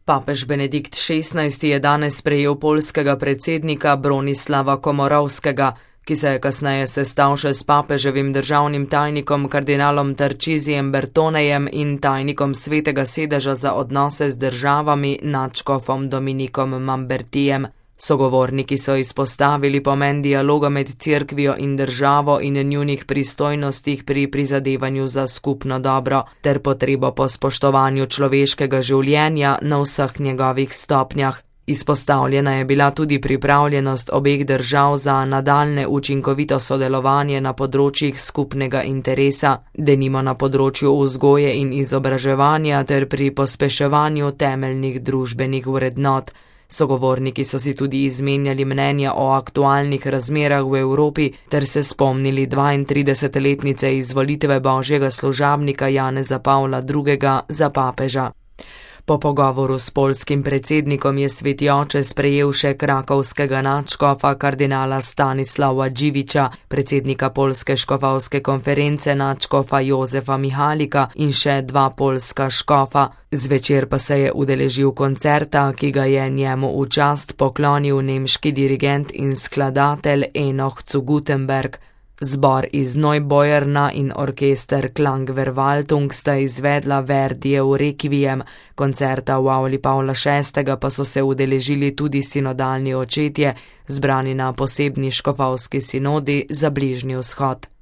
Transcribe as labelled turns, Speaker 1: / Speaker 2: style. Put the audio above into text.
Speaker 1: Papež Benedikt XVI je danes sprejel poljskega predsednika Bronislava Komorovskega, ki se je kasneje sestal še s papeževim državnim tajnikom kardinalom Tarcisijem Bertonejem in tajnikom Svetega sedeža za odnose z državami nadškofom Dominikom Mambertijem. Sogovorniki so izpostavili pomen dialoga med cerkvijo in državo in njunih pristojnostih pri prizadevanju za skupno dobro, ter potrebo po spoštovanju človeškega življenja na vseh njegovih stopnjah. Izpostavljena je bila tudi pripravljenost obeh držav za nadaljnje učinkovito sodelovanje na področjih skupnega interesa, denimo na področju vzgoje in izobraževanja ter pri pospeševanju temeljnih družbenih vrednot. Sogovorniki so si tudi izmenjali mnenja o aktualnih razmerah v Evropi ter se spomnili 32-letnice izvolitve božjega služabnika Janeza Pavla II. Za papeža. Po pogovoru s poljskim predsednikom je Sveti oče sprejel še krakovskega nadškofa kardinala Stanislava Dživiča, predsednika Poljske škofovske konference nadškofa Jozefa Mihalika in še dva poljska škofa. Zvečer pa se je udeležil koncerta, ki ga je njemu v čast poklonil nemški dirigent in skladatelj Enoch zu Gutenberg. Zbor iz Neuboyerna in orkester Klangverwaltung sta izvedla Verdijev Requiem, koncerta v avli Pavla VI. Pa so se udeležili tudi sinodalni očetje, zbrani na posebni škofovski sinodi za Bližnji vzhod.